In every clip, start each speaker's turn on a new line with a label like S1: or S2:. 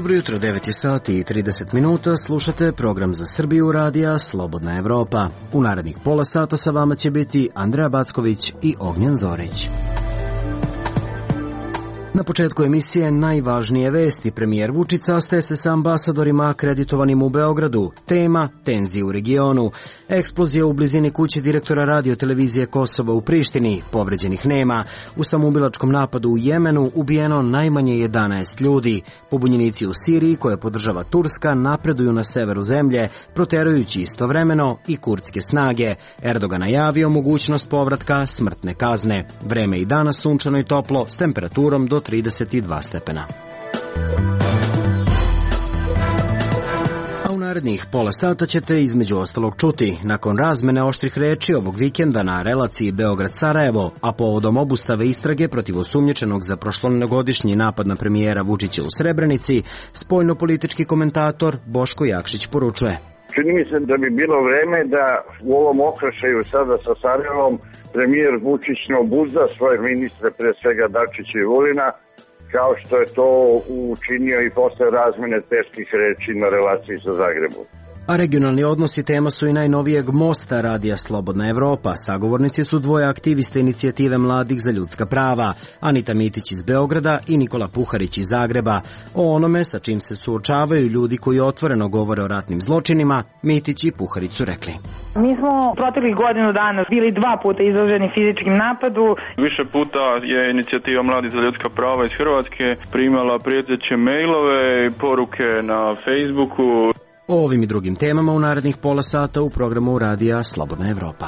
S1: Dobro jutro, 9 je sati i 30 minuta, slušate program za Srbiju radija Slobodna Evropa. U narednih pola sata sa vama će biti Andreja Backović i Ognjen Zorić. Na početku emisije najvažnije vesti. Premijer Vučić sastaje se sa ambasadorima akreditovanim u Beogradu. Tema – tenzije u regionu. Eksplozija u blizini kuće direktora radiotelevizije Kosovo u Prištini. Povređenih nema. U samoubilačkom napadu u Jemenu ubijeno najmanje 11 ljudi. Pobunjenici u Siriji, koje podržava Turska, napreduju na severu zemlje, proterujući istovremeno i kurdske snage. Erdogan najavio mogućnost povratka smrtne kazne. Vreme i danas sunčano i toplo, s temperaturom do 32 stepena. A u narednih pola sata ćete između ostalog čuti, nakon razmene oštrih reči ovog vikenda na relaciji Beograd-Sarajevo, a povodom obustave istrage protiv osumnjičenog za prošlogodišnji napad na premijera Vučića u Srebrenici, spoljnopolitički komentator Boško Jakšić poručuje.
S2: Čini mi se da bi bilo vreme da u ovom okršaju sada sa Sarajevom premijer Vučić ne obuzda svoje ministre, pre svega Dačića i Vulina, kao što je to učinio i posle razmene teških reči na relaciji sa Zagrebom.
S1: A regionalni odnosi tema su i najnovijeg mosta radija Slobodna Evropa. Sagovornici su dvoje aktivista inicijative Mladih za ljudska prava, Anita Mitić iz Beograda i Nikola Puharić iz Zagreba. O onome sa čim se suočavaju ljudi koji otvoreno govore o ratnim zločinima, Mitić i Puharić su rekli.
S3: Mi smo proteklih godinu dana bili 2 puta izloženi fizičkim napadu.
S4: Više puta je inicijativa Mladih za ljudska prava iz Hrvatske primala prijeteće mailove i poruke na Facebooku.
S1: O ovim i drugim temama u narednih pola sata u programu radija Slobodna Evropa.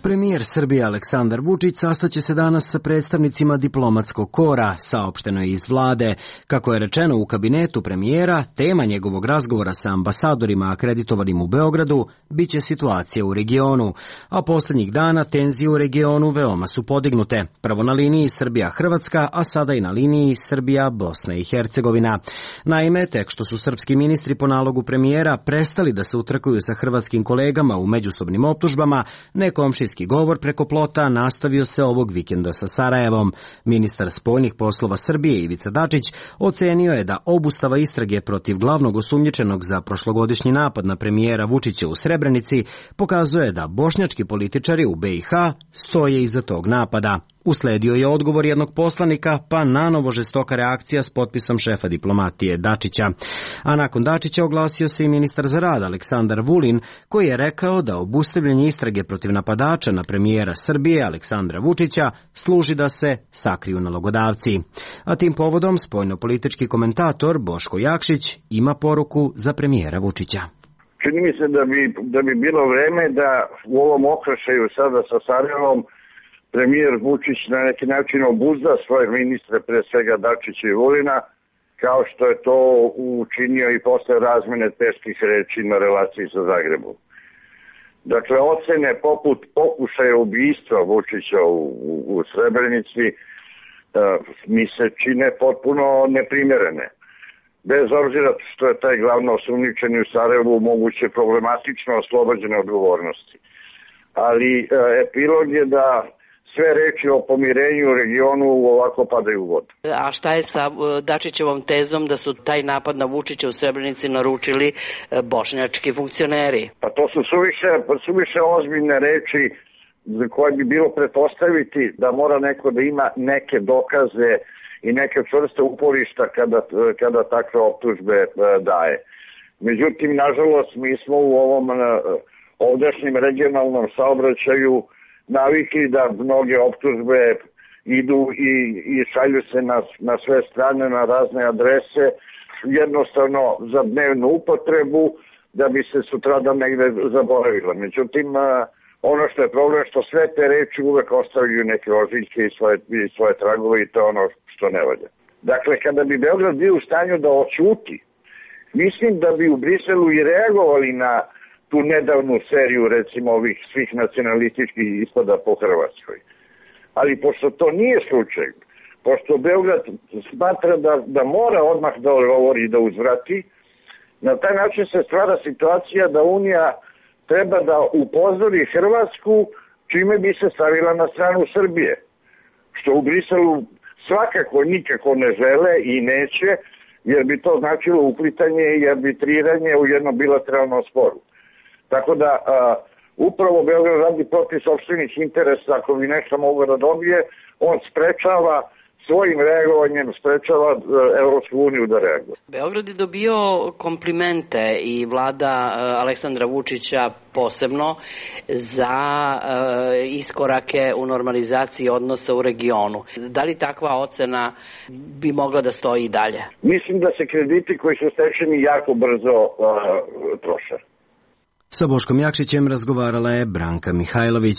S1: Premijer Srbije Aleksandar Vučić sastaće se danas sa predstavnicima diplomatskog kora, saopšteno je iz vlade. Kako je rečeno u kabinetu premijera, tema njegovog razgovora sa ambasadorima akreditovanim u Beogradu biće situacija u regionu, a posljednjih dana tenzije u regionu veoma su podignute. Prvo na liniji Srbija-Hrvatska, a sada i na liniji Srbija-Bosna i Hercegovina. Naime, tek što su srpski ministri po nalogu premijera prestali da se utrkuju sa hrvatskim kolegama u međusobnim optužbama, nekomšijski govor preko plota nastavio se ovog vikenda sa Sarajevom. Ministar spoljnih poslova Srbije Ivica Dačić ocenio je da obustava istrage protiv glavnog osumnjičenog za prošlogodišnji napad na premijera Vučića u Srebrenici pokazuje da bošnjački političari u BiH stoje iza tog napada. Usledio je odgovor jednog poslanika, pa nanovo žestoka reakcija s potpisom šefa diplomatije Dačića. A nakon Dačića oglasio se i ministar za rad Aleksandar Vulin, koji je rekao da obustavljanje istrage protiv napadača na premijera Srbije Aleksandra Vučića služi da se sakriju nalogodavci. A tim povodom spoljnopolitički komentator Boško Jakšić ima poruku za premijera Vučića.
S2: Čini mi se da bi bilo vreme da u ovom okršaju sada sa Sarajevom premijer Vučić na neki način obuzda svoje ministre, pre svega Dačića i Vulina, kao što je to učinio i posle razmene teških reči na relaciji sa Zagrebom. Dakle, ocene poput pokušaja ubistva Vučića u Srebrenici mi se čine potpuno neprimjerene. Bez obzira što je taj glavno osumnjičeni u Sarajevu moguće problematično oslobođene odgovornosti. Ali epilog je da sve reči o pomirenju u regionu ovako padaju u vodu.
S5: A šta je sa Dačićevom tezom da su taj napad na Vučića u Srebrenici naručili bošnjački funkcioneri?
S2: Pa to su suviše ozbiljne reči za koje bi bilo pretpostaviti da mora neko da ima neke dokaze i neke čvrste uporišta kada takve optužbe daje. Međutim, nažalost, mi smo u ovom ovdašnjem regionalnom saobraćaju navikli da mnoge optužbe idu i šalju se na sve strane, na razne adrese, jednostavno za dnevnu upotrebu, da bi se sutradan negde zaboravila. Međutim, ono što je problem što sve te reči uvek ostavljaju neke ožiljke i svoje tragove i to je ono što ne valja. Dakle, kada bi Beograd bio u stanju da oćuti, mislim da bi u Briselu i reagovali na tu nedavnu seriju, recimo, ovih svih nacionalističkih ispada po Hrvatskoj. Ali pošto to nije slučaj, pošto Beograd smatra da mora odmah da odgovori i da uzvrati, na taj način se stvara situacija da Unija treba da upozori Hrvatsku, čime bi se stavila na stranu Srbije. što u Briselu svakako nikako ne žele i neće, jer bi to značilo uplitanje i arbitriranje u jednom bilateralnom sporu. Tako da upravo Beograd radi protiv sopstvenih interesa, ako bi nešto mogo da dobije, on sprečava svojim reagovanjem, sprečava Evropsku uniju da reaguje.
S5: Beograd je dobio komplimente i vlada Aleksandra Vučića posebno za iskorake u normalizaciji odnosa u regionu. Da li takva ocena bi mogla da stoji i dalje?
S2: Mislim da se krediti koji su stečeni jako brzo troše.
S1: Sa Boškom Jakšićem razgovarala je Branka Mihajlović.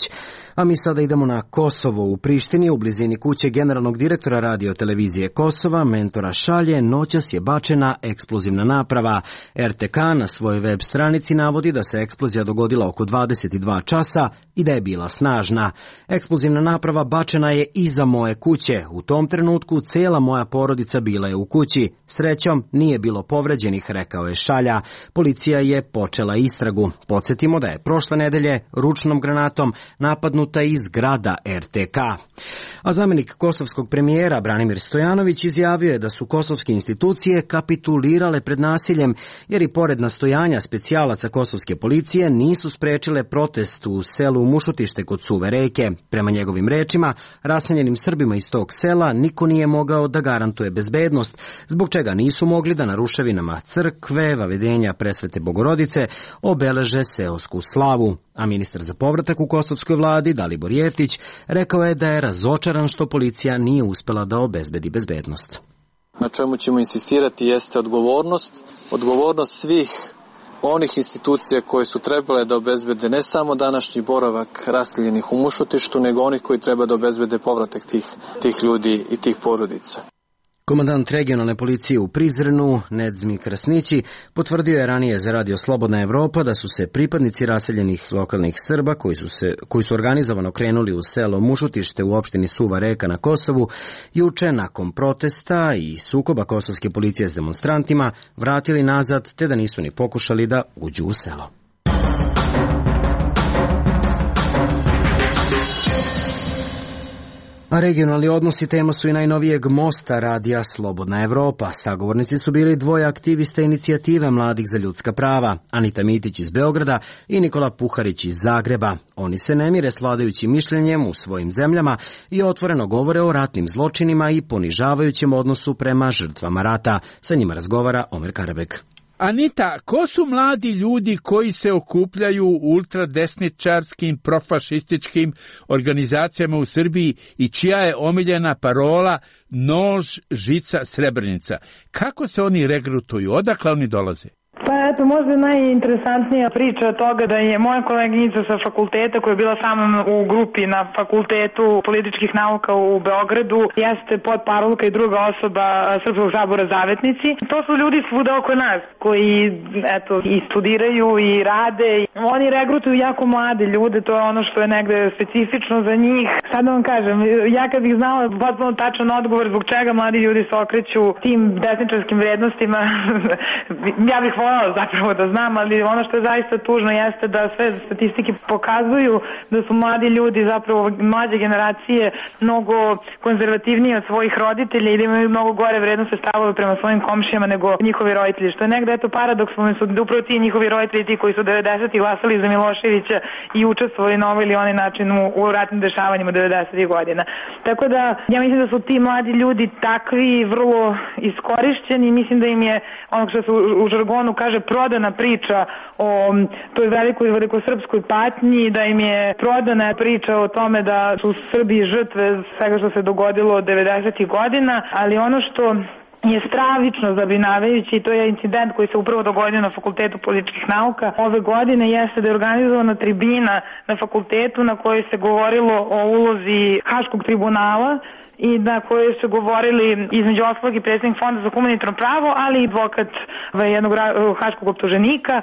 S1: A mi sada idemo na Kosovo. U Prištini, u blizini kuće generalnog direktora radio televizije Kosova, Mentora Šalje, noćas je bačena eksplozivna naprava. RTK na svojoj web stranici navodi da se eksplozija dogodila oko 22 časa i da je bila snažna. Eksplozivna naprava bačena je iza moje kuće. U tom trenutku cijela moja porodica bila je u kući. Srećom, nije bilo povređenih, rekao je Šalja. Policija je počela istragu. Podsjetimo da je prošle nedelje ručnom granatom napadnuta iz zgrada RTK. A zamjenik kosovskog premijera Branimir Stojanović izjavio je da su kosovske institucije kapitulirale pred nasiljem, jer i pored nastojanja specijalaca kosovske policije nisu sprečile protest u selu Mušutište kod Suve reke. Prema njegovim rečima, raseljenim Srbima iz tog sela niko nije mogao da garantuje bezbednost, zbog čega nisu mogli da na ruševinama crkve, Vavedenja Presvete Bogorodice, obeleže seosku slavu. A ministar za povratak u kosovskoj vladi, Dalibor Jeftić, rekao je da je razočaran što policija nije uspela da obezbedi bezbednost.
S6: Na čemu ćemo insistirati jeste odgovornost svih onih institucija koje su trebale da obezbede ne samo današnji boravak raseljenih u Mušutištu, nego onih koji treba da obezbede povratak tih ljudi i tih porodica.
S1: Komandant regionalne policije u Prizrenu, Nedzmi Krasnići, potvrdio je ranije za Radio Slobodna Evropa da su se pripadnici raseljenih lokalnih Srba koji su organizovano krenuli u selo Mušutište u opštini Suva reka na Kosovu, juče nakon protesta i sukoba kosovske policije s demonstrantima vratili nazad, te da nisu ni pokušali da uđu u selo. A regionalni odnosi tema su i najnovijeg mosta radija Slobodna Evropa. Sagovornici su bili dvoje aktivista inicijative Mladih za ljudska prava, Anita Mitić iz Beograda i Nikola Puharić iz Zagreba. Oni se ne mire s vladajućim mišljenjem u svojim zemljama i otvoreno govore o ratnim zločinima i ponižavajućem odnosu prema žrtvama rata. Sa njima razgovara Omer Karabek.
S7: Anita, ko su mladi ljudi koji se okupljaju u ultradesničarskim, profašističkim organizacijama u Srbiji i čija je omiljena parola nož, žica, srebrnica? Kako se oni regrutuju? Odakle oni dolaze?
S3: Pa eto, možda najinteresantnija priča toga da je moja koleginica sa fakulteta koja je bila sa mnom u grupi na Fakultetu političkih nauka u Beogradu jeste podparolka i druga osoba Srpskog sabora Zavetnici. To su ljudi svuda oko nas koji eto i studiraju i rade. Oni regrutuju jako mlade ljude, to je ono što je negde specifično za njih. Sad da vam kažem, ja kad bih znala potpuno tačan odgovor zbog čega mladi ljudi se okreću tim desničarskim vrednostima, ja bih voljela zapravo da znam, ali ono što je zaista tužno jeste da sve statistike pokazuju da su mladi ljudi, zapravo mlađe generacije, mnogo konzervativniji od svojih roditelja i da imaju mnogo gore vrednostne stavove prema svojim komšijama nego njihovi roditelji, što je negde eto paradoksalno su da upravo ti njihovi roditelji ti koji su 90-ih glasali za Miloševića i učestvovali na ovaj ili onaj način u ratnim dešavanjima 90-ih godina. Tako da ja mislim da su ti mladi ljudi takvi vrlo iskorišćeni, mislim da im je ono što se u žargonu kaže prodana priča o toj velikosrpskoj patnji, da im je prodana priča o tome da su Srbi žrtve svega što se dogodilo od 90-ih godina, ali ono što je stravično zabrinjavajući i to je incident koji se upravo dogodio na Fakultetu političkih nauka ove godine jeste da je organizovana tribina na fakultetu na kojoj se govorilo o ulozi Haškog tribunala i na kojoj su govorili između ostalog i predsjednik Fonda za humanitarno pravo, ali i advokat jednog haškog optuženika.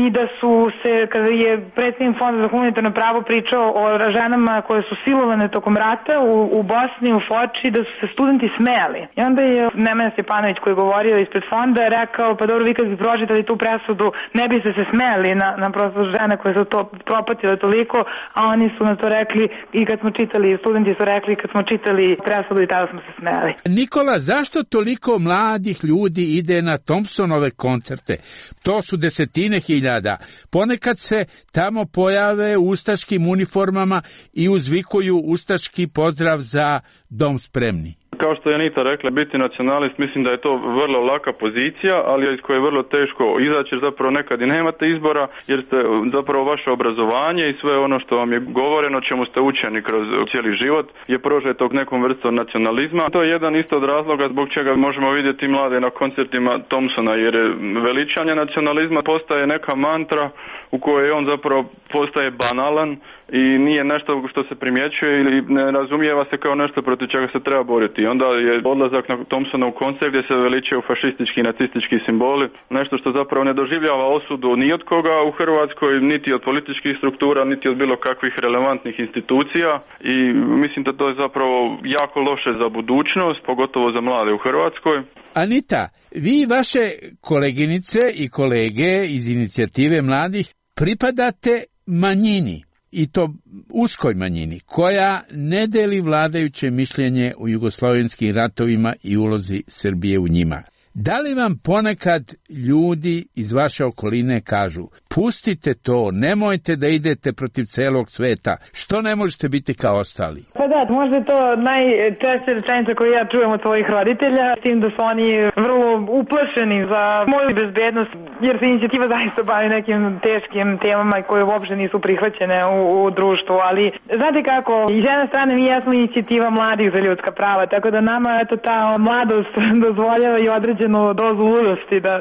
S3: i da su se, kada je predsjednik Fonda za humanitarno pravo pričao o ženama koje su silovane tokom rata u Bosni, u Foči, da su se studenti smejali. I onda je Nemanja Stjepanović, koji je govorio ispred fonda, rekao, pa dobro, vi kad bi pročitali tu presudu, ne biste se smejali na prosto žene koje su to propatile toliko, a oni su na to rekli i kad smo čitali, studenti su rekli kad smo čitali presudu i tada smo se smejali.
S7: Nikola, zašto toliko mladih ljudi ide na Thompsonove koncerte? To su desetine hiljada. Ponekad se tamo pojave u ustaškim uniformama i uzvikuju ustaški pozdrav za dom spremni.
S4: Kao što je Anita rekla, biti nacionalist, mislim da je to vrlo laka pozicija, ali iz koje je vrlo teško izaći, jer zapravo nekad i nemate izbora, jer ste zapravo vaše obrazovanje i sve ono što vam je govoreno, čemu ste učeni kroz cijeli život, je prožeto nekom vrstom nacionalizma. To je jedan isto od razloga zbog čega možemo vidjeti mlade na koncertima Thompsona, jer veličanje nacionalizma postaje neka mantra u kojoj on zapravo postaje banalan i nije nešto što se primjećuje ili ne razumijeva se kao nešto protiv čega se treba boriti. I onda je odlazak na Thompsonov koncert gdje se veličaju fašistički i nacistički simboli, nešto što zapravo ne doživljava osudu ni od koga u Hrvatskoj, niti od političkih struktura, niti od bilo kakvih relevantnih institucija, i mislim da to je zapravo jako loše za budućnost, pogotovo za mlade u Hrvatskoj.
S7: Anita, vi i vaše koleginice i kolege iz inicijative mladih pripadate manjini, i to uskoj manjini, koja ne deli vladajuće mišljenje u jugoslovenskim ratovima i ulozi Srbije u njima. Da li vam ponekad ljudi iz vaše okoline kažu, pustite to, nemojte da idete protiv celog sveta, što ne možete biti kao ostali?
S3: Pa da, možda je to najčešća rečenica koju ja čujem od svojih roditelja, s tim da su oni vrlo uplašeni za moju bezbednost, jer se inicijativa zaista bavi nekim teškim temama koje uopšte nisu prihvaćene u društvu, ali znate kako, i s jedne strane mi jesmo inicijativa mladih za ljudska prava, tako da nama eto ta mladost dozvoljava i određenu dozu ludosti, da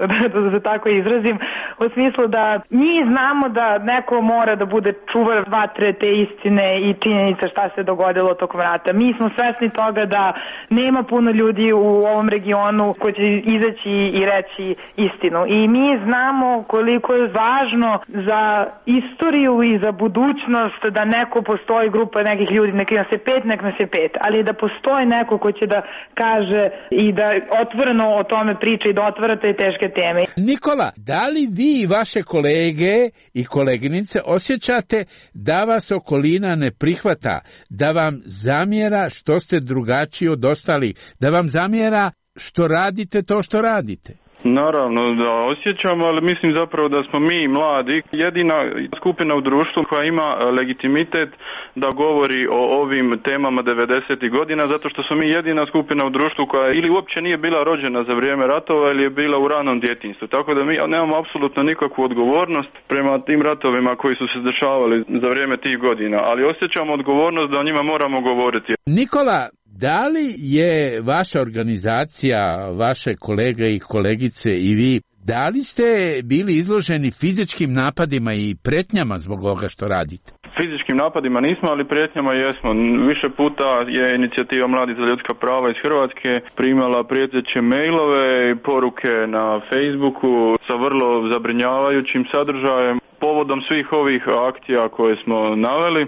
S3: se tako izrazim, u smislu da mi znamo da neko mora da bude čuvar vatre te istine i činjenica šta se dogodilo tokom rata. Mi smo svesni toga da nema puno ljudi u ovom regionu koji će izaći i reći istinu. I mi znamo koliko je važno za istoriju i za budućnost da neko postoji, grupa nekih ljudi, nek nas je 5, nek nas je 5, ali da postoji neko ko će da kaže i da otvoreno o tome priča i da otvara te teške teme.
S7: Nikola, da li vi i vaše kolege i koleginice osjećate da vas okolina ne prihvata, da vam zamjera što ste drugačiji od ostalih, da vam zamjera što radite to što radite?
S4: Naravno da osjećamo, ali mislim zapravo da smo mi mladi jedina skupina u društvu koja ima legitimitet da govori o ovim temama 90. godina, zato što smo mi jedina skupina u društvu koja ili uopće nije bila rođena za vrijeme ratova ili je bila u ranom djetinjstvu. Tako da mi nemamo apsolutno nikakvu odgovornost prema tim ratovima koji su se dešavali za vrijeme tih godina, ali osjećamo odgovornost da o njima moramo govoriti.
S7: Nikola, da li je vaša organizacija, vaše kolege i kolegice i vi, da li ste bili izloženi fizičkim napadima i pretnjama zbog ovoga što radite?
S4: Fizičkim napadima nismo, ali prijetnjama jesmo. Više puta je inicijativa Mladi za ljudska prava iz Hrvatske primala prijeteće mailove i poruke na Facebooku sa vrlo zabrinjavajućim sadržajem. Povodom svih ovih akcija koje smo naveli,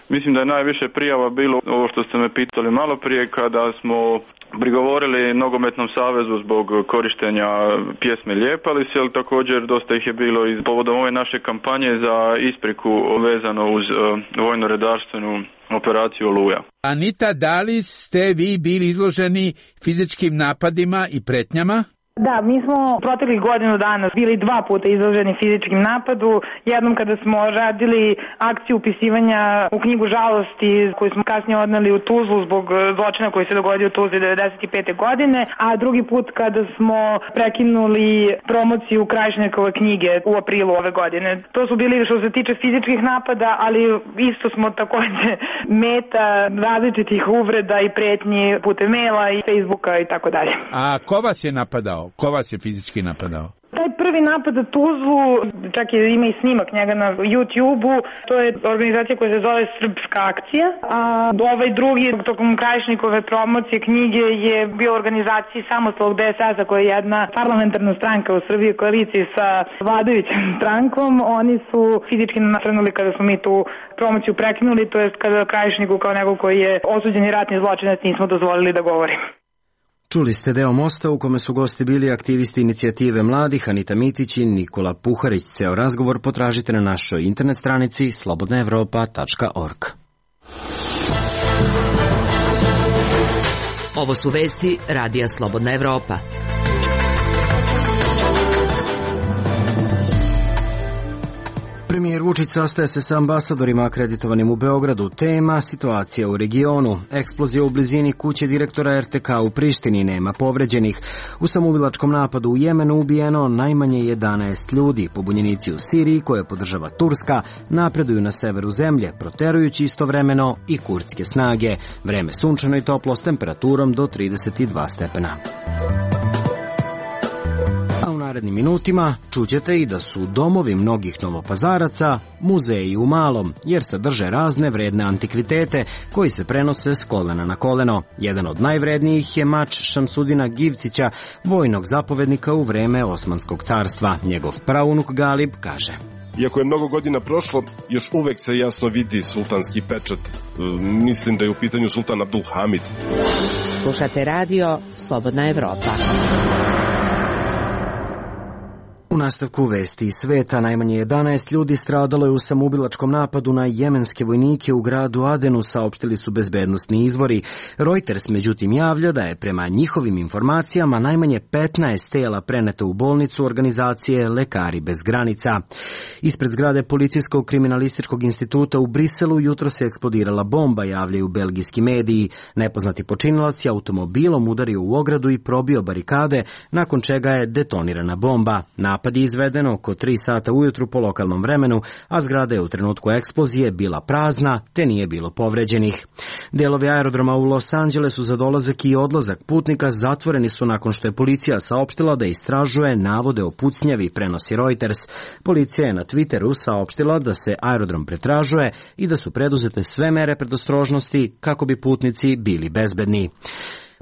S4: mislim da je najviše prijava bilo ovo što ste me pitali malo prije, kada smo prigovorili Nogometnom savezu zbog korištenja pjesme Ljepali se, ali također dosta ih je bilo i povodom ove naše kampanje za ispriku vezano uz vojno-redarstvenu operaciju Oluja.
S7: Anita, da li ste vi bili izloženi fizičkim napadima i pretnjama?
S3: Da, mi smo proteklih godinu dana bili 2 puta izloženi fizičkim napadu. Jednom kada smo radili akciju upisivanja u knjigu žalosti koju smo kasnije odneli u Tuzlu zbog zločina koji se dogodio u Tuzli 95. godine, a drugi put kada smo prekinuli promociju Krajišnikove knjige u aprilu ove godine. To su bili što se tiče fizičkih napada, ali isto smo također meta različitih uvreda i pretnji putem maila i Facebooka i tako dalje.
S7: A ko vas je napadao? Ko vas je fizički napadao?
S3: Taj prvi napad na Tuzlu, čak ima i snimak njega na YouTube-u, to je organizacija koja se zove Srpska akcija, a ovaj drugi, tokom Krajišnikove promocije knjige, je bio organizaciji Samostalnog DSS-a, koja je jedna parlamentarna stranka u Srbiji u koaliciji sa vladajućom strankom. Oni su fizički nasrnuli kada smo mi tu promociju prekinuli, to jest kada Krajišniku kao nego koji je osuđeni ratni zločinac nismo dozvolili da govorimo.
S1: Čuli ste deo Mosta u kome su gosti bili aktivisti inicijative mladih Anita Mitić i Nikola Puharić. Ceo razgovor potražite na našoj internet stranici slobodnaevropa.org.
S8: Ovo su vesti Radija Slobodna Evropa.
S1: Premijer Vučić sastaje se sa ambasadorima akreditovanim u Beogradu. Tema: situacija u regionu. Eksplozija u blizini kuće direktora RTK u Prištini, nema povređenih. U samoubilačkom napadu u Jemenu ubijeno najmanje 11 ljudi. Pobunjenici u Siriji, koje podržava Turska, napreduju na severu zemlje, proterujući istovremeno i kurdske snage. Vreme sunčano i toplo s temperaturom do 32 stepena. U narednim minutima čućete i da su domovi mnogih Novopazaraca muzeji u malom, jer sadrže razne vredne antikvitete koji se prenose s kolena na koleno. Jedan od najvrednijih je mač Šamsudina Givcića, vojnog zapovednika u vreme Osmanskog carstva. Njegov praunuk Galib kaže:
S9: iako je mnogo godina prošlo, još uvek se jasno vidi sultanski pečat. Mislim da je u pitanju sultan Abdul Hamid.
S8: Slušate radio Slobodna Evropa.
S1: U nastavku vesti iz sveta, najmanje 11 ljudi stradalo je u samoubilačkom napadu na jemenske vojnike u gradu Adenu, saopštili su bezbednosni izvori. Reuters međutim javlja da je prema njihovim informacijama najmanje 15 tela preneto u bolnicu organizacije Lekari bez granica. Ispred zgrade Policijskog kriminalističkog instituta u Briselu jutro se eksplodirala bomba, javljaju belgijski mediji. Nepoznati počinilac je automobilom udario u ogradu i probio barikade, nakon čega je detonirana bomba. Napad je izveden oko 3 sata ujutru po lokalnom vremenu, a zgrada je u trenutku eksplozije bila prazna, te nije bilo povređenih. Delovi aerodroma u Los Angelesu za dolazak i odlazak putnika zatvoreni su nakon što je policija saopštila da istražuje navode o pucnjavi, prenosi Reuters. Policija je na Twitteru saopštila da se aerodrom pretražuje i da su preduzete sve mere predostrožnosti kako bi putnici bili bezbedni.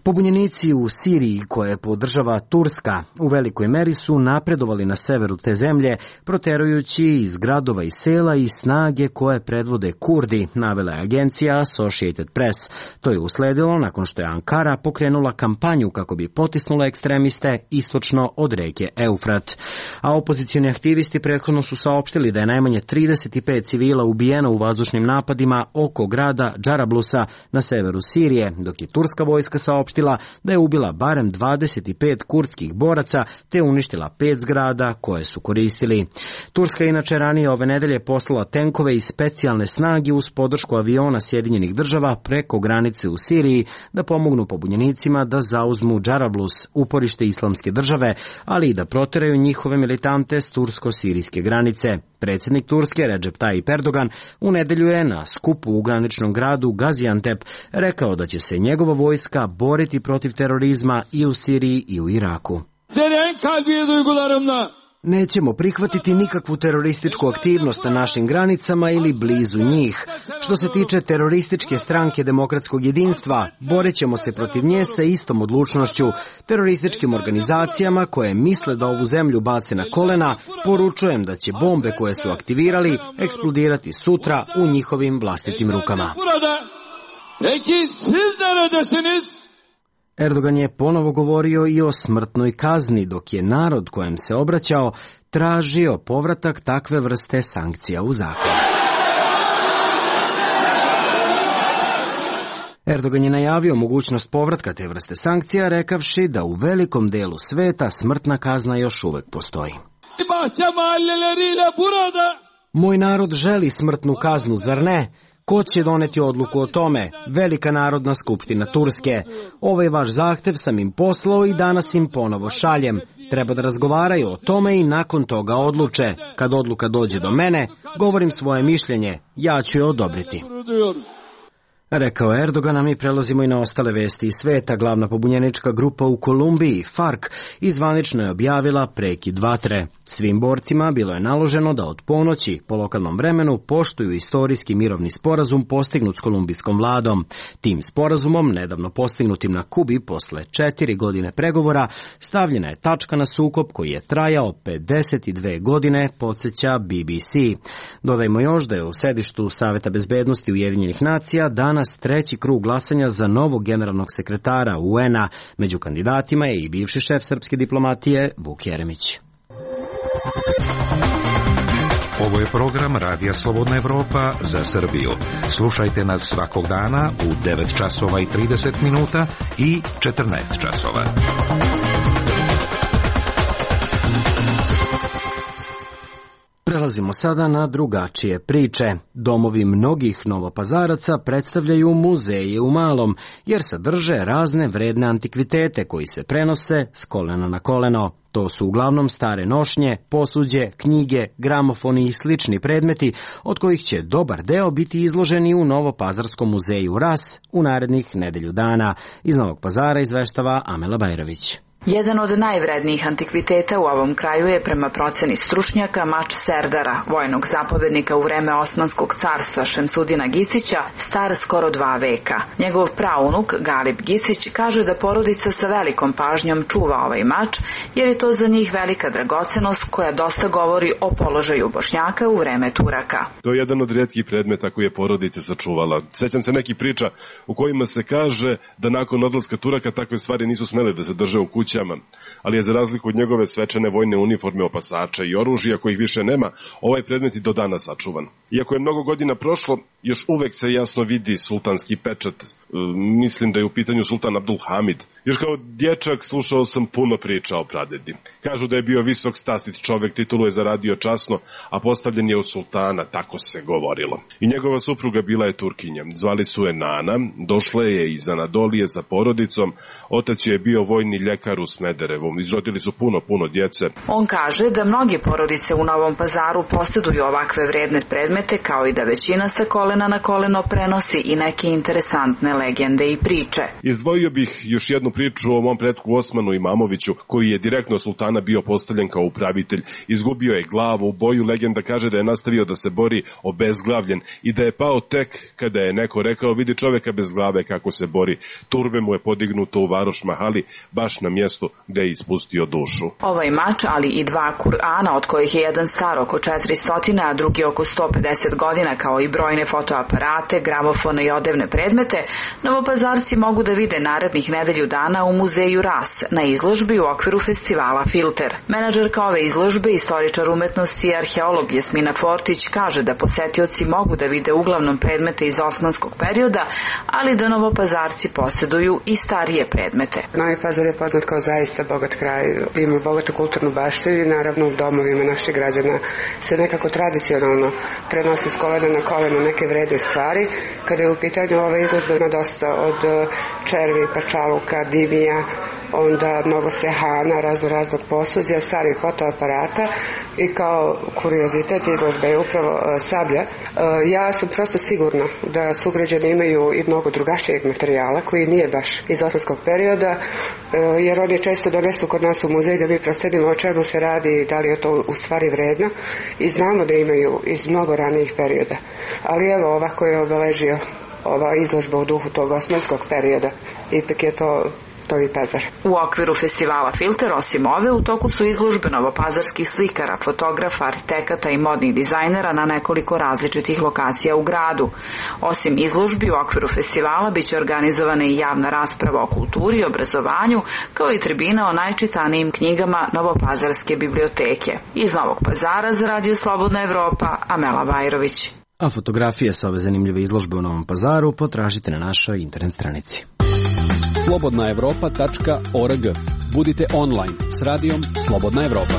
S1: Pobunjenici u Siriji, koje podržava Turska, u velikoj meri su napredovali na severu te zemlje, proterujući iz gradova i sela i snage koje predvode Kurdi, navela je agencija Associated Press. To je usledilo nakon što je Ankara pokrenula kampanju kako bi potisnula ekstremiste istočno od reke Eufrat. A opozicioni aktivisti prethodno su saopštili da je najmanje 35 civila ubijeno u vazdušnim napadima oko grada Džarablusa na severu Sirije, dok je turska vojska saopštila da je ubila barem 25 kurdskih boraca te uništila 5 zgrada koje su koristili. Turska je inače ranije ove nedelje poslala tenkove i specijalne snage uz podršku aviona Sjedinjenih država preko granice u Siriji da pomognu pobunjenicima da zauzmu Džarablus, uporište islamske države, ali i da proteraju njihove militante s tursko-sirijske granice. Predsjednik Turske Recep Tayyip Erdogan u nedelju je na skupu u graničnom gradu Gaziantep rekao da će se njegova vojska boriti protiv terorizma i u Siriji i u Iraku. Nećemo prihvatiti nikakvu terorističku aktivnost na našim granicama ili blizu njih. Što se tiče terorističke stranke Demokratskog jedinstva, borit ćemo se protiv nje sa istom odlučnošću. Terorističkim organizacijama koje misle da ovu zemlju bace na kolena, poručujem da će bombe koje su aktivirali eksplodirati sutra u njihovim vlastitim rukama. Erdogan je ponovo govorio i o smrtnoj kazni, dok je narod kojem se obraćao tražio povratak takve vrste sankcija u zakon. Erdogan je najavio mogućnost povratka te vrste sankcija, rekavši da u velikom delu sveta smrtna kazna još uvek postoji. Moj narod želi smrtnu kaznu, zar ne? Ko će doneti odluku o tome? Velika narodna skupština Turske. Ovaj vaš zahtev sam im poslao i danas im ponovo šaljem. Treba da razgovaraju o tome i nakon toga odluče. Kad odluka dođe do mene, govorim svoje mišljenje. Ja ću je odobriti. Rekao Erdogan, a mi prelazimo i na ostale vesti iz sveta. Glavna pobunjenička grupa u Kolumbiji, FARC, izvanično je objavila prekid vatre. Svim borcima bilo je naloženo da od ponoći po lokalnom vremenu poštuju istorijski mirovni sporazum postignut s kolumbijskom vladom. Tim sporazumom, nedavno postignutim na Kubi posle 4 godine pregovora, stavljena je tačka na sukob koji je trajao 52 godine, podsjeća BBC. Dodajmo još da je u sedištu Saveta bezbednosti Ujedinjenih nacija danas treći krug glasanja za novog generalnog sekretara UN-a. Među kandidatima je i bivši šef srpske diplomatije Vuk Jeremić.
S10: Ovo je program Radija Slobodna Evropa za Srbiju. Slušajte nas svakog dana u 9 časova i 30 minuta i 14 časova.
S1: Prelazimo sada na drugačije priče. Domovi mnogih Novopazaraca predstavljaju muzeje u malom, jer sadrže razne vredne antikvitete koji se prenose s kolena na koleno. To su uglavnom stare nošnje, posuđe, knjige, gramofoni i slični predmeti, od kojih će dobar deo biti izloženi u Novopazarskom muzeju RAS u narednih nedelju dana. Iz Novog Pazara izveštava Amela Bajrović.
S11: Jedan od najvrednijih antikviteta u ovom kraju je prema proceni stručnjaka mač Serdara, vojnog zapovednika u vreme Osmanskog carstva Šemsudina Gisića, star skoro 2 veka. Njegov praunuk, Galip Gisić, kaže da porodica sa velikom pažnjom čuva ovaj mač, jer je to za njih velika dragocenost koja dosta govori o položaju Bošnjaka u vreme Turaka.
S9: To je jedan od rijetkih predmeta koji je porodica sačuvala. Sećam se nekih priča u kojima se kaže da nakon odlaska Turaka takve stvari nisu smele da se drže u kući, ali je za razliku od njegove svečane vojne uniforme, opasača i oružja kojih više nema, ovaj predmet i do danas sačuvan. Iako je mnogo godina prošlo, još uvek se jasno vidi sultanski pečat. Mislim da je u pitanju sultan Abdul Hamid. Još kao dječak slušao sam puno priča o pradedi. Kažu da je bio visok stastit čovek, titulu je zaradio časno, a postavljen je od sultana, tako se govorilo. I njegova supruga bila je Turkinja. Zvali su je Nana, došla je iz Anadolije sa porodicom, otac je bio vojni ljekar u Smederevu. Izrodili su puno djece.
S11: On kaže da mnogi porodice u Novom Pazaru posjeduju ovakve vredne predmete, kao i da većina sa kolena na koleno prenosi i neke interesantne legende i priče.
S9: Izdvojio bih još jednu priču o mom pretku Osmanu Imamoviću, koji je direktno od sultana bio postavljen kao upravitelj. Izgubio je glavu u boju, legenda kaže da je nastavio da se bori obezglavljen i da je pao tek kada je neko rekao: vidi čoveka bez glave kako se bori. Turbe mu je podignuto u Varoš Mahali, baš na mjestu gde je ispustio dušu.
S11: Ovaj mač, ali i 2 Kur'ana, od kojih je jedan star oko 400, a drugi oko 150 godina, kao i brojne fotoaparate, gramofone i odevne predmete, Novopazarci mogu da vide narednih nedelju dana u muzeju RAS na izložbi u okviru festivala Filter. Menadžerka ove izložbe, istoričar umetnosti i arheolog Jasmina Fortić, kaže da posetioci mogu da vide uglavnom predmete iz osmanskog perioda, ali da Novopazarci posjeduju i starije predmete.
S12: Novi Pazar je poznat kao zaista bogat kraj, ima bogatu kulturnu baštinu i naravno u domovima naših građana se nekako tradicionalno prenosi s kolena na koleno neke vredne stvari. Kada je u pitanju ova izložba, ima dosta od červi, pačaluka, dimija, onda mnogo sehana, raznog posuđa, starih fotoaparata i kao kuriozitet izložbe je upravo sablja. Ja sam prosto sigurna da sugrađani imaju i mnogo drugačijeg materijala koji nije baš iz osmanskog perioda, jer oni često donesu kod nas u muzej da mi procenimo o čemu se radi, da li je to u stvari vredno, i znamo da imaju iz mnogo ranijih perioda. Ali evo, ovako je obeležio ova izložba u duhu tog osmanskog perioda. Ipak je to Novi Pazar.
S11: U okviru festivala Filter, osim ove, u toku su izložbe novopazarskih slikara, fotografa, arhitekata i modnih dizajnera na nekoliko različitih lokacija u gradu. Osim izložbi, u okviru festivala biće organizovana i javna rasprava o kulturi i obrazovanju, kao i tribina o najčitanijim knjigama Novopazarske biblioteke. Iz Novog Pazara za Radio Slobodna Evropa, Amela Bajrović.
S1: A fotografije sa ove zanimljive izložbe u Novom Pazaru potražite na našoj internet stranici.
S13: slobodnaevropa.org. Budite online s radijom Slobodna Evropa.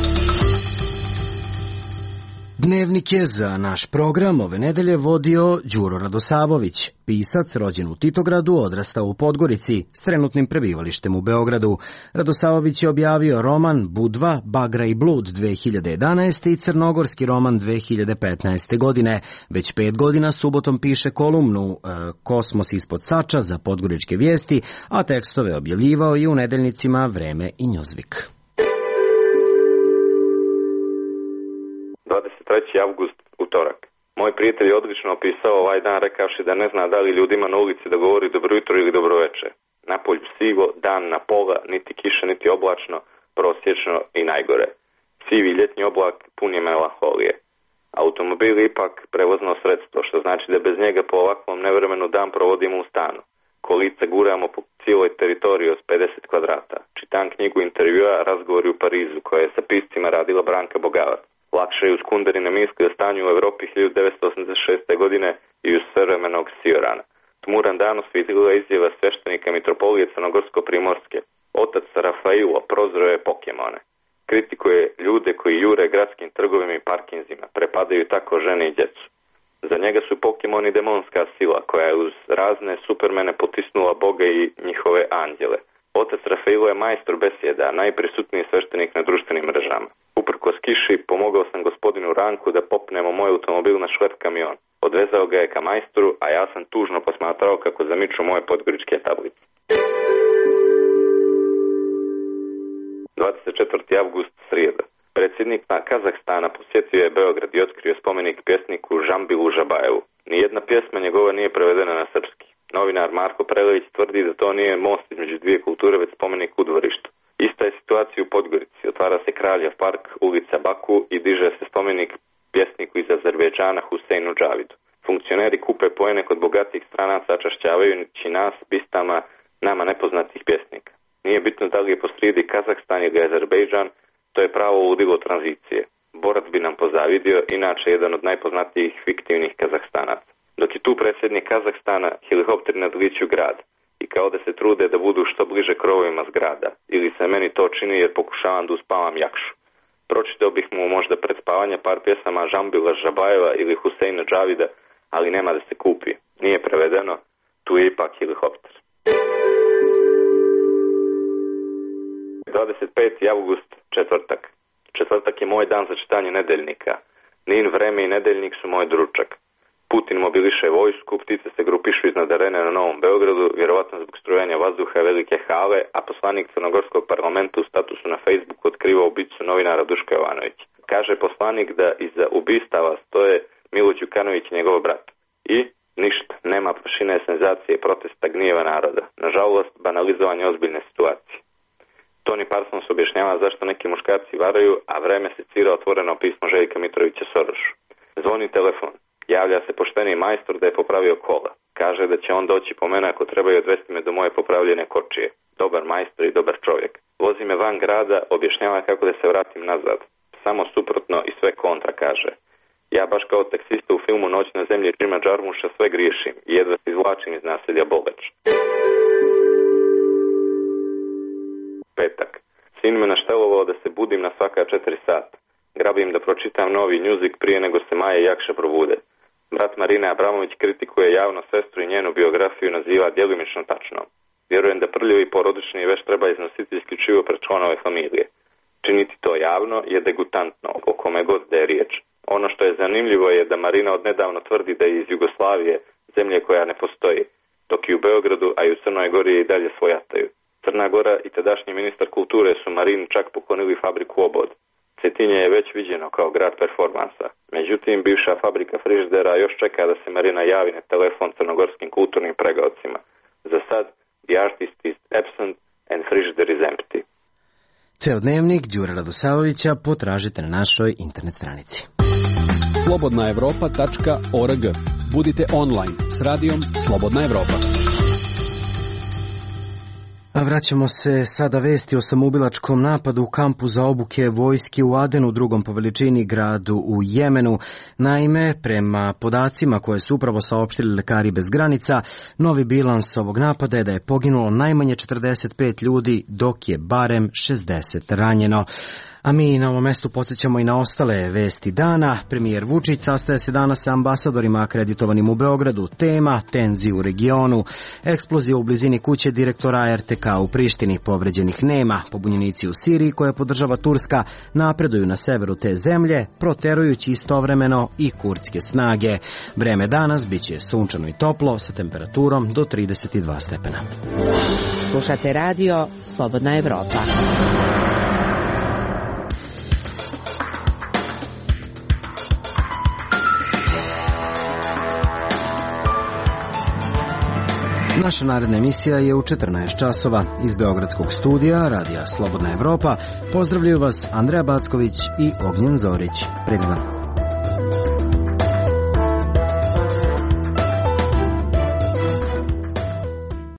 S1: Dnevnik je za naš program ove nedelje vodio Đuro Radosavović, pisac rođen u Titogradu, odrastao u Podgorici s trenutnim prebivalištem u Beogradu. Radosavović je objavio roman Budva, Bagra i blud 2011. i crnogorski roman 2015. godine. Već 5 godina subotom piše kolumnu Kosmos ispod Sača za Podgoričke vijesti, a tekstove objavljivao i u nedeljnicima Vreme i Njuzvik.
S13: 23. avgust, utorak. Moj prijatelj je odlično opisao ovaj dan rekavši da ne zna da li ljudima na ulici da govori dobro jutro ili dobro veče. Napolju sivo, dan na pola, niti kiša, niti oblačno, prosječno i najgore. Sivi ljetnji oblak pun je melanholije. Automobil je ipak prevozno sredstvo, što znači da bez njega po ovakvom nevremenu dan provodimo u stanu. Kolica guramo po cijeloj teritoriji od 50 kvadrata. Čitam knjigu intervjua Razgovori u Parizu, koja je sa piscima radila Branka Bogavac. Lakše je uz kunderine misli o stanju u Evropi 1986. godine i uz savremenog Siorana. Tmuran dan osvijetlila izjava sveštenika mitropolije Crnogorsko-Primorske. Otac Rafailo prozreo je Pokemone. Kritikuje ljude koji jure gradskim trgovima i parkinzima, prepadaju tako žene i djecu. Za njega su Pokemoni demonska sila koja je uz razne supermene potisnula Boga i njihove anđele. Otac Rafailo je majstor besjeda, najprisutniji sveštenik na društvenim mrežama. Uprkos kiši pomogao sam gospodinu Ranku da popnemo moj automobil na šlep kamion. Odvezao ga je ka majstoru, a ja sam tužno posmatrao kako zamiču moje podgoričke tablice. 24. avgust, srijeda. Predsjednik Kazahstana posjetio je Beograd i otkrio spomenik pjesniku Žambilu Žabajevu. Nijedna pjesma njegova nije prevedena na srpski. Novinar Marko Prelević tvrdi da to nije most između dvije kulture, već spomenik u dvorištu. Ista je situacija u Podgorici. Otvara se Kraljev park, ulica Baku i diže se spomenik pjesniku iz Azerbejdžana Huseinu Džavidu. Funkcioneri kupe poene kod bogatih stranaca, čašćavajući nas bistama nama nepoznatih pjesnika. Nije bitno da li je posrijedi Kazahstan ili Azerbejdžan, to je pravo ludilo tranzicije. Borac bi nam pozavidio, inače jedan od najpoznatijih fiktivnih Kazahstanaca. Dok je tu predsjednik Kazahstana, helikopteri nadliću grad i kao da se trude da budu što bliže krovovima zgrada, ili se meni to čini jer pokušavam da uspavam jakšu. Pročitao bih mu možda pred spavanja par pjesama Žambila Žabajeva ili Huseina Džavida, ali nema da se kupi. Nije prevedeno, tu je ipak helikopter. 25. avgust, četvrtak. Četvrtak je moj dan za čitanje nedeljnika. Nin, Vreme i Nedeljnik su moj dručak. Putin mobiliše vojsku, ptice se grupišu iznad arene na Novom Beogradu, vjerovatno zbog strujanja vazduha velike hale, a poslanik Crnogorskog parlamenta u statusu na Facebooku otkriva ubicu novinara Duška Jovanovića. Kaže poslanik da iza ubistava stoje Milo Đukanović i njegov brat. I ništa, nema prašine senzacije, protesta, gnjeva naroda. Nažalost, banalizovanje ozbiljne situacije. Toni Parsons objašnjava zašto neki muškarci varaju, a Vreme se cira otvoreno pismo Željka Mitrovića Sorošu. Zvoni telefon. Javlja se pošteni majstor da je popravio kola. Kaže da će on doći po mene ako treba i odvesti me do moje popravljene kočije. Dobar majstor i dobar čovjek. Vozi me van grada, objašnjava kako da se vratim nazad. Samo suprotno i sve kontra, kaže. Ja baš kao taksista u filmu Noć na zemlji Jima Jarmusha sve griješim i jedva se izvlačim iz naselja Boleč. Petak. Sin me naštelovao da se budim na svaka 4 sata. Grabim da pročitam novi Newsweek prije nego se Maja i Jakša probude. Brat Marine Abramović kritikuje javno sestru i njenu biografiju naziva djelimično tačno. Vjerujem da prljavi porodični veš treba iznositi isključivo pred članove familije. Činiti to javno je degutantno, o kome god da je riječ. Ono što je zanimljivo je da Marina odnedavno tvrdi da je iz Jugoslavije, zemlje koja ne postoji, dok i u Beogradu, a i u Crnoj Gori je i dalje svojataju. Crna Gora i tadašnji ministar kulture su Marini čak poklonili fabriku Obod. Cetinje je već viđeno kao grad performansa. Međutim, bivša fabrika frižidera još čeka da se Marina javi na telefon crnogorskim kulturnim pregaocima. Za sad, the artist is absent and frigider is empty.
S1: Ceo dnevnik Đure Radosavovića potražite na našoj internet stranici.
S14: slobodnaevropa.org. Budite online s radijom Slobodna Evropa.
S1: A vraćamo se sada vesti o samoubilačkom napadu u kampu za obuke vojske u Adenu, drugom po veličini gradu u Jemenu. Naime, prema podacima koje su upravo saopštili Lekari bez granica, novi bilans ovog napada je da je poginulo najmanje 45 ljudi, dok je barem 60 ranjeno. A mi na ovom mestu podsjećamo i na ostale vesti dana. Premijer Vučić sastaje se danas sa ambasadorima akreditovanim u Beogradu. Tema – tenzije u regionu. Eksplozija u blizini kuće direktora RTK u Prištini. Povređenih nema. Pobunjenici u Siriji, koje podržava Turska, napreduju na severu te zemlje, proterujući istovremeno i kurdske snage. Vreme danas biće sunčano i toplo sa temperaturom do 32 stepena.
S8: Slušate radio Slobodna Evropa.
S1: Naša naredna emisija je u 14 časova. Iz Beogradskog studija Radija Slobodna Evropa pozdravljaju vas Andreja Backović i Ognjen Zorić. Privilan.